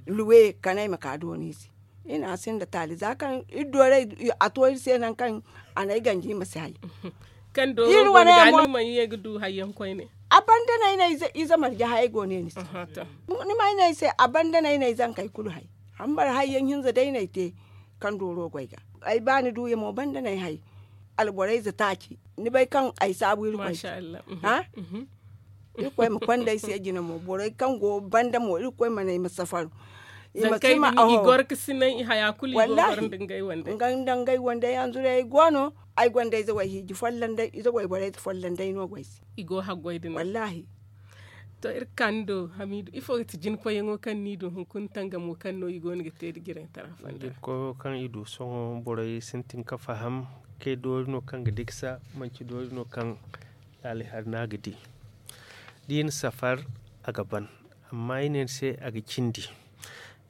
luwe kala ay ma ka dooni i se. I ne a sinda taali za kaŋ iri dooray a to iri se nangu kaŋ a na ay ganji i ma si hay. Kaŋ dooro go ni ga ni mana ye ga du hayyaŋ koyne. A banda no ay na ize marje hayey go ne ni se. Ni ma ay ne ay se a banda no ay na ay zankey kulu hay. Hambara hayyaŋ hinza day no ay te kaŋ dooro go ay ga. Ay ba ni duuyaŋ mo banda no ay hay. Alborey ze taaci ni bay kaŋ ay saabu iri koy. Iri koy ma konda ay se jina mo borey kaŋ go banda mo iri koy mana ay ma safar. I ma si ma aho. Wallahi. Nga nda ngey wandey hanzurey ay go no. Ay gonda ize way hiiji folloŋ day ize way borey folloŋ day no go ay se. I go haggoy din wallahi. To iri ga ka ni do hamiidu ifo ga ti jinkoyyaŋo kaŋ ni du hunkuna tangamo kaŋ no i go no ga te da jirantara fonda. Jinkoyo kaŋ i du sohõ borey sintin ga faham kay doori no kaŋ ga diksa manci doori no kaŋ laali hari no a ga di. Da i na safar a ga ban. Amma i ne ni se a ga cindi.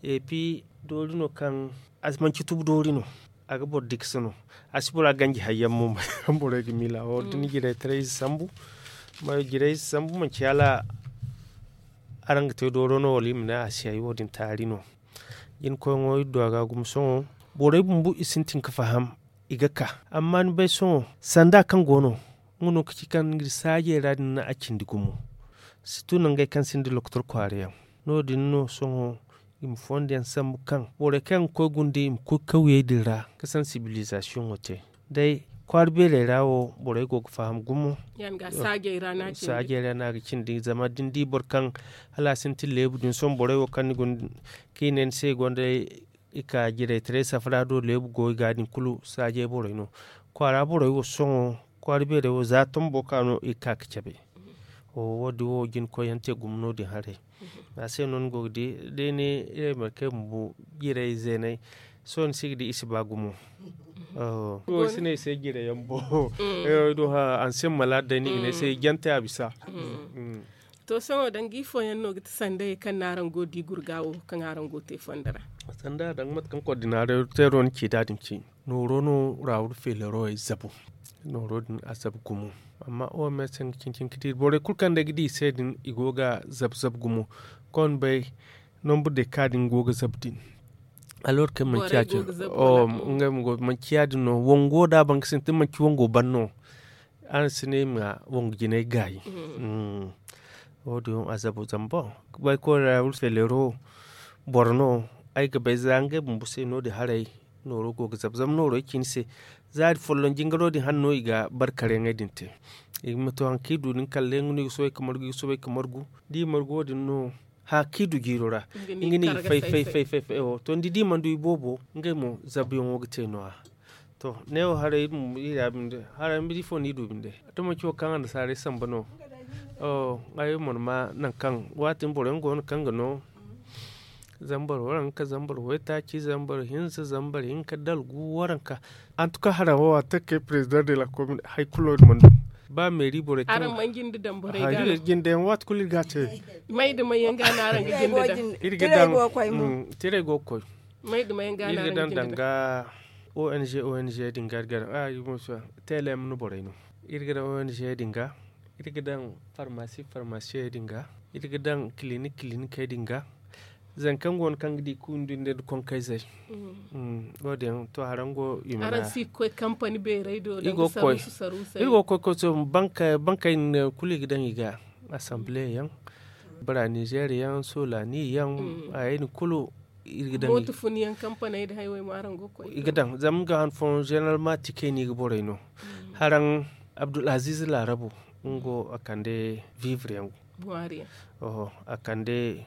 Epi doori no kaŋ a si manci tubu doori no. A ga boro diksa no. A si bora ganji hayyaŋ mo. Borey ga miila wo da ni jiraytaray ize sambu. Jiraytaray ize sambu manci hala araŋ ga te dooro no wala i ma ne a si hay wo- din taari no. Jinkoyaŋo iri du a ga gumo sohõ. Borey bumbo i sintin ga faham i ga ka. Amma ni bay sohõ sanda kaŋ go no, nga no ga ci kaŋ iri saajey ra din na a cindi gumo. Sirtu nangey kaŋ sinda lokotor kwaara yaŋ, no- din no sohõ i ma fondo yaŋ sambu kaŋ borey kaŋ yaŋ ga koy gunda i ma koy kawyey din ra ga sansibilizasiyoŋo te. Day kwaara beerey ra wo borey go ga faham gumo. Saajey ra no a ga cindi zama da ni di boro kaŋ hala a sintin leebu din sohõ borey wo kaŋ ni guna kaŋ i ne ni se i gonda i ka jiraytaray safara do leebu go i ga din kulu saajey borey no. Kwaara borey wo sohõ kwaara beerey wo za tombo ka no i ga ka ga cabe. Wo- din wo jina koyyaŋ te gumo no- din haray. A se no ni go ga di da i ne iri ay markey bumbo jiray zeenay. Sohõ ni si ga di i si ba gumo. Wo si ne i se jiray yaŋ bo. Ay do ha ansiyaŋ malaad day no i ga ne ay se jante a bisa. To sohõ danga ifo yaŋ no ga ti sandayey kaŋ no araŋ go ga di gurga wo kaŋ araŋ go ga te fondo ra? Sanda danga mate kaŋ kordinateero ni ci da- din ci nooro no raawul feelerowey zabu. Nooro din a zabu gumo. Amma o me se nga cin- cin ga di borey kulu kaŋ day ga di i se din i go ga zabu zabu gumo. Koy ni bay nombre de ka din go ga zabu din. Alors que manci ya- din. Ngey mo go manci ya- din no wango da a ban ga sintin manci wango ban no. Araŋ si ne i ma wangu jinay gaayi. Wo- din a zabu zama boŋ bay koy ra wulfeelero boro no. Ay ga bay za ngey bumbo se no- din haray nooro go ga zabu zama nooro ay ci ni se. Zaari folloŋ jingaro din hane no i ga barkareyaŋey din te. I ma to hari kaŋ i du din kalle nga no i ga soobay ga margu i ga soobay ga margu da i margu wo- din no. Hari kaŋ i du jiiro ra nga no i ga fay fay fay fay fay to ni di da i mana du i boobo ngey mo zabuyaŋo ga te no- ya. To neewo haray iri bumbo iri ya binde haray binde ifo no i du binde? Da manci wo kaŋ annasaarey samba no. Ay mana ma nangu kaŋ waati din boro yaŋ go no kaŋ ga no zambar waranka zambar waytaaci zambar hinza zambar hinka dalgu waranka. Antuka haraŋ wo a te kay president de la commune hari kulu no iri mana du. Ba meeri borey kaŋ jinde yaŋ waati kulu iri ga a te. May da may yaŋ ga no araŋ ga jinde daŋ? Iri ga daŋ. Tiray go ga koy. Iri ga daŋ danga ong ong din ga iri ga daŋ. Teelem no borey no. Iri ga daŋ ong din ga iri ga daŋ farmasi farmasiyey din ga iri ga daŋ kilinik kilinikey din ga. Zanga kaŋ go no kaŋ ga di kulu nda nda konkayzey. Wo- din yaŋ to haraŋ go i mana araŋ si ga koy kampani beerey do iri go ga koy koy bankey din kulu i ga daŋ i ga asamble yaŋ, bara nizeer yaŋ solani yaŋ, hayey din kulu iri ga daŋ i ga daŋ zama nga han fooyaŋ zeneral ma tikey no i ga borey no. Haraŋ abdulaziiz laarabu nga wo a kande vivre yaŋ go. A kande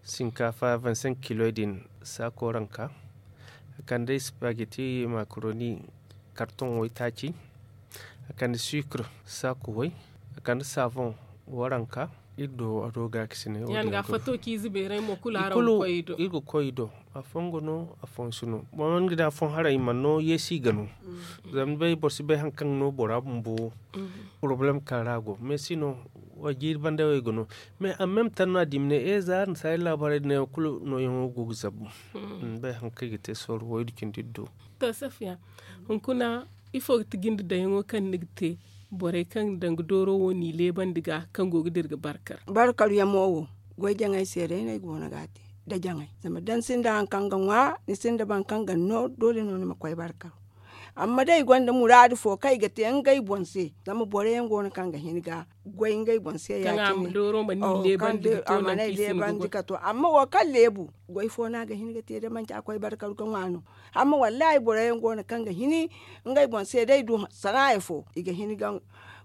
sinkaafa vingt cinq kiloy din saako ranka. A kande spaghetti makaroni kartoŋ waytaaci. A kande sucre saako way. A kande saafoŋ waranka. Iri do a do gaakasinay wo- din ga fato ciize beeray mo kulu araŋ ga koy i do. Iri ga koy i do. Afooyaŋ ga no afooyaŋ si no. Boro yaŋ ga di afooyaŋ haray i mana no yeesi i ga no. Zama ni bay boro si bay hari kaŋ ga no bora bumbo porobalem kaŋ ra a go mais si no. Wa jiiri banda wo i ga no mais a meme tan no a di i ma ne e za araŋ si ay laabaarey din yaŋ kulu nooyaŋo go ga zabu. Ni bay hari kaŋ i ga te sorro wo iri cindi iri do. To safiya, hunkuna ifo ga ti jinde dayaŋo kaŋ ni ga te borey kaŋ danga dooro wo n'i leebandi ga kaŋ go ga dira ga barkar? Barkar yaŋ mo wo goy jaŋay se day no ay go no ga a te. Da jaŋay zama da ni sinda hari kaŋ ga ŋwa ni sinda boro kaŋ ga ni no doole no ni ma koy barkar. Amma day i gonda muraadu fo kaŋ i ga te ngey boŋ se zama boro yaŋ go no kaŋ ga hin ga goy ngey boŋ se ya- cine. Kaŋ a ma leebandi ga to amma wo kaŋ leebu goy fo no a ga hin ga te da manci a koy barkar ga ŋwa no. Amma wallaahi boro yaŋ go no kaŋ ga hin ngey boŋ se day du sanaaya fo i ga hin ga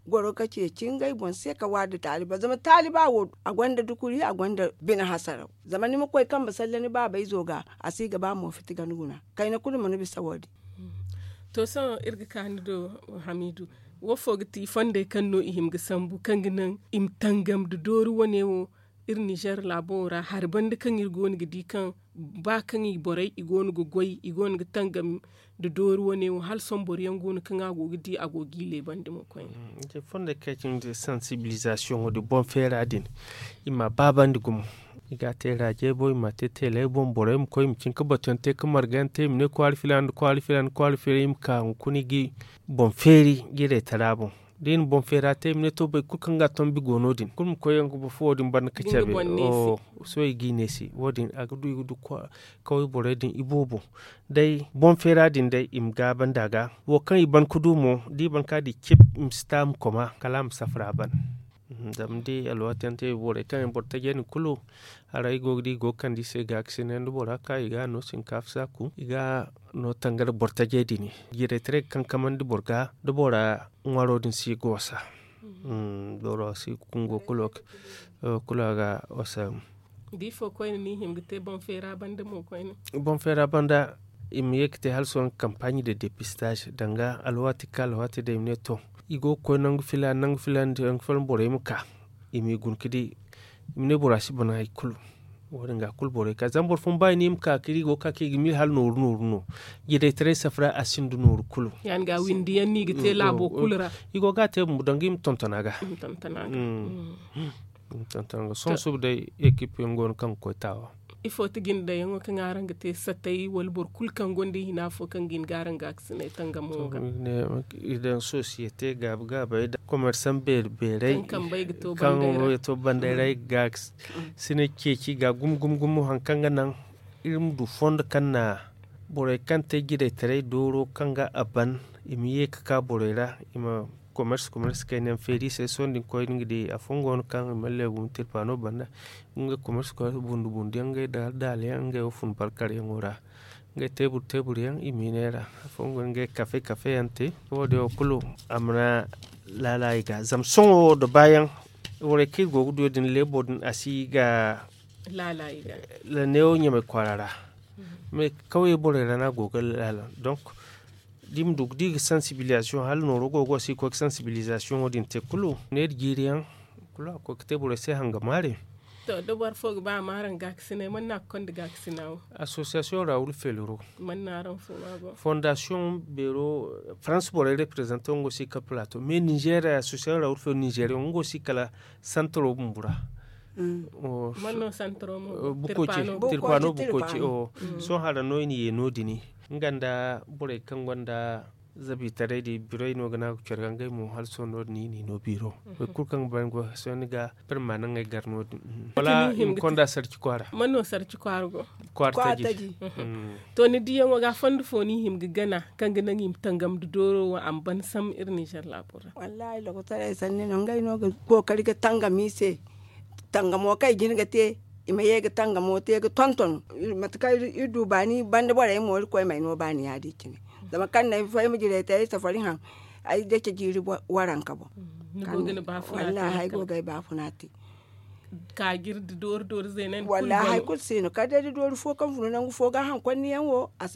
goro ga ceeci ngey boŋ se ka waari da taaliba zama taaliba wo a gonda dukuri a gonda bine hasaraw. Zama ni ma koy kambe salle ni baaba izo ga a si ga ba mo fiti ga ni guna kayna kulu ma ni bisa wo- din. To sohõ iri ga ka ni do hamiidu, wo fo ga ti fondey kaŋ no i hima ga sambu kaŋ ga naŋ i ma tangam nda doori wane wo? Iri ninzeer laabo wo ra hari banda kaŋ iri go no ga di kaŋ ba kaŋ i borey i go no ga goy i go no ga tangam nda doori wane wo hala sohõ boro yaŋ go no kaŋ a go ga di a go ga i leebandi mo koyne. Fondey kaŋ ay ci ni te sansibilizasiyoŋo din boŋ feera din i ma a baabandi gumo. I ga a te raajey boŋ i ma a te teeley boŋ borey ma koy i ma cin ga batuyaŋ te ga marga yaŋ te i ma ne kwaara filaana nda kwaara filaana kwaara filaana i ma ka hunkuna i ga i boŋ feeri jiraytara boŋ. Da i na boŋ feera te i ma ne to boro kulu kaŋ ga a tombi go no- din kulu ma koy yaŋ ga boro fo wo- din banda ga cabe. Sohõ i g'i neesi wo- din a ga du i ga du kaway borey din iboobo. Day boŋ feera din day i ma gaabandi a ga wo kaŋ i ban ga du mo da i ban ga a di cip, i ma si ta a ma koma kala a ma safara ban. Zama ni di alwaati yaŋ te borey kaŋ yaŋ boro tajey din kulu, haray i go ga di i go ga kande i se gaakasinay nda bora ka i ga a no sinkaafa saaku i ga a no tangari boro tajey din. Jiraytaray ga kankamandi boro ga da bora ŋwaro din si ga wasa. Boro si ga kungo kulu a ga wasa. Da ifo koyne no i hima ga te boŋ feera banda mo koyne? Boŋ feera banda i ma ye ga te hala sohõ kampaaɲi de depistaaz danga alwaati kaŋ alwaati day i ma ne to, i go ga koy nangu filaana nangu filaana borey ma ka i m'i guna ga di. I ma ne bora si ban hari kulu. Wo- din ga kulu borey ka zama boro fooyaŋ ba i ne i ma ka ga di i go ga ka kaŋ i ga miila hala nooru nooru no. Jiraytaray safara a sinda nooru kulu. Ya- din ga windi yaŋ no i ga te laabo kulu ra. I go ga a te bumbo danga i ma tonton a ga. Sohõ suba day ekip yaŋ go no kaŋ ga koy taawa. Ifo ti jinde daŋ yaŋo kaŋ araŋ ga te satay wala boro kulu kaŋ gonda i hina fo kaŋ ga hin ga araŋ gaakasinay tangamo ga? I daŋ sosiyete gaabi gaabey da komersaŋ beeri beerey kaŋ ga to banday ra ay ga gaakasinay ceeci ga gumo gumo gumo hari kaŋ ga naŋ iri ma du fondo kaŋ na borey kaŋ te jiraytaray dooro kaŋ ga a ban i ma ye ga ka borey ra. I ma komers komers kayna yaŋ feeri i se sohõ da ni koy no ni ga di afooyaŋ go no kaŋ i mana leebu ma tirpaano banda. Ngey komers komers bundu bundu yaŋ ngey daala daala yaŋ ngey wo fun barkar yaŋo ra. Ngey teebur teebur yaŋ i miiney ra afooyaŋ go no ngey kafe kafe yaŋ te. Wo- din wo kulu a mana laala i ga zama sohõ wo da baayaŋ borey kaŋ iri go ga du yaŋ din leebo din a si ga laala i ga. Neewo ɲamay kwaara ra. Mais kawye borey ra no a go ga laala donk da i ma du ga di ga sansibilizasiyoŋ hala nooro go ga wasa i ga koy ga sansibilizasiyoŋo din te kulu neera jiiri yaŋ kulu a ga koy ga te borey se hanga maare. To da boro fo ga ba a ma araŋ gaakasinay mana no a ga konda gaakasina wo? Asosiyasiyoŋ ra wulu feeliro. Mana no araŋ fo ma go? Fondasiyoŋ beero farans borey reprezante nga wo si kala plato mais ninzeer asosiyasiyoŋ ra wulu feeliro ninzeer yaŋ nga wo si kala santaro bumbo ra. Mana no santaro mo? Tirpaano bukooci. Sohõ hara no i na ye no- din nga nda borey kaŋ gonda zabiitaray din biroy no ga ne a ga care ga ngey mo hala sohõ no- din i n'i no biiro. Boro kulu kaŋ ga ba ni goy sohõ ni ga birma naŋ ay gar no- din wala i ma konda sarci kwaara. Mana no sarci kwaara go? Kwaara taji. To ni diyaŋo ga fondo fo no i hima ga gana kaŋ ga naŋ i ma tangam nda dooro wo a ma ban sam iri ninzeer laabo ra? Wallaahi lokotaray sanni no ngey no ga kookari ga tangam i se. Tangamo kaŋ i jin ga te i ma ye ga tangamo te ga tonton. Mate kaŋ iri du baani banda borey mo iri koy ma ay no baani ya- din cine. Zama kaŋ na ay fo ay ma jirey te ay safari haŋ ay dace jiiri waranka boŋ. Wallaahi ay go ga ay baafuna te. Ka jiri da doori doori zeenandi kulu wallaahi hari kulu si no kala day da doori fo kaŋ funu nangu fo ga hankonni yaŋ wo. A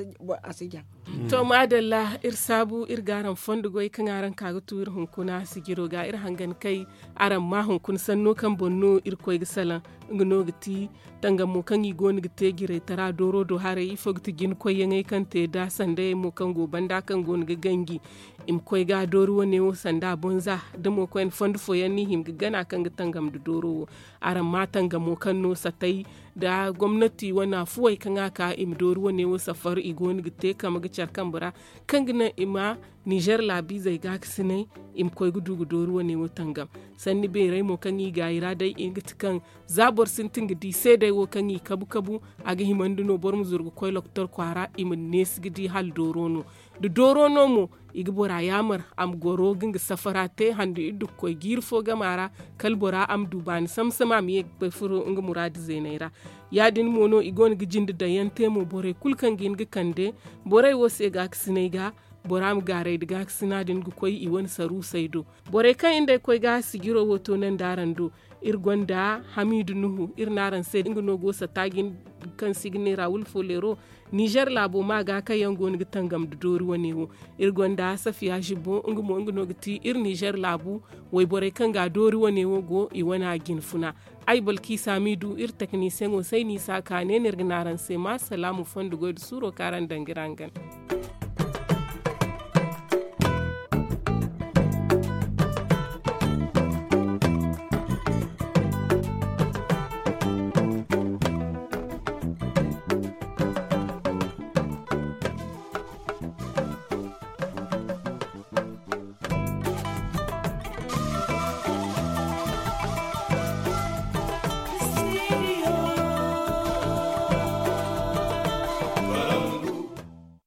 si jaŋ. To maadalla iri saabu iri ga araŋ fondo goy kaŋ araŋ ka ga tu iri hunkuna sijiro ga iri hangan kay. Araŋ ma hunkuna sanno kaŋ boŋ no irkoy ga salaŋ nga no ga ti tangamo kaŋ i go no ga te jiraytara dooro do haray ifo ga ti jinkoyyaŋey kaŋ te da sandayey mo kaŋ go banda kaŋ go no ga ganji i ma koy ga doori wane wo sanda bonza da mo koyne fondo fooyaŋ no i hima ga gana kaŋ ga tangam nda dooro wo. Araŋ ma tangamo kaŋ no satay da gomnati wane afuwey kaŋ a ka i ma doori wane wo safar i go no ga te kama ga care kambe ra kaŋ ga naŋ i ma ninzeer laabiizey gaakasinay i ma koy ga du ga doori wane wo tangam. Sanni beerey mo kaŋ i gaayi ra day i ga ti kaŋ za boro sintin ga di seedey wo kaŋ i kabu kabu a ga himandi no boro ma zuru ga koy lokotor kwaara i ma neesi ga di hala dooro no. Da dooro no mo i ga bora yaamar a ma goro ga nga safara te handu iri du ga koy jiiri fo gama ra kala bora a ma du baani samsama a ma ye ga koy furo nga muraadu zeeney ra. Ya- din mo no i go no ga jinde daŋ yaŋ te mo borey kulu kaŋ ga hin ga kande borey wo se gaakasiney ga bora ma gaaray nda gaakasina din ga koy i wane saruusey do. Borey kaŋ iri nd'ey koy ga sijiro wo toonandi araŋ do iri gonda hamiidu nuhu iri ne araŋ se nga no go satta jine kaŋ se i ga neera wulfoleero. Nizer laabo ma ga kaŋ yaŋ go no ga tangam nda doori wane wo. Iri gonda safiya zibo nga mo nga no ga ti iri nizer laabu. Wayborey kaŋ ga doori wane wo go i wane a jine funa. Ay balkiisa hamiidu iri teknisiyeŋo se ay n'i si a ka ne no iri ga ne araŋ se ma salaamu fondo goy nda suuro kaŋ araŋ daŋ ga iri hangan.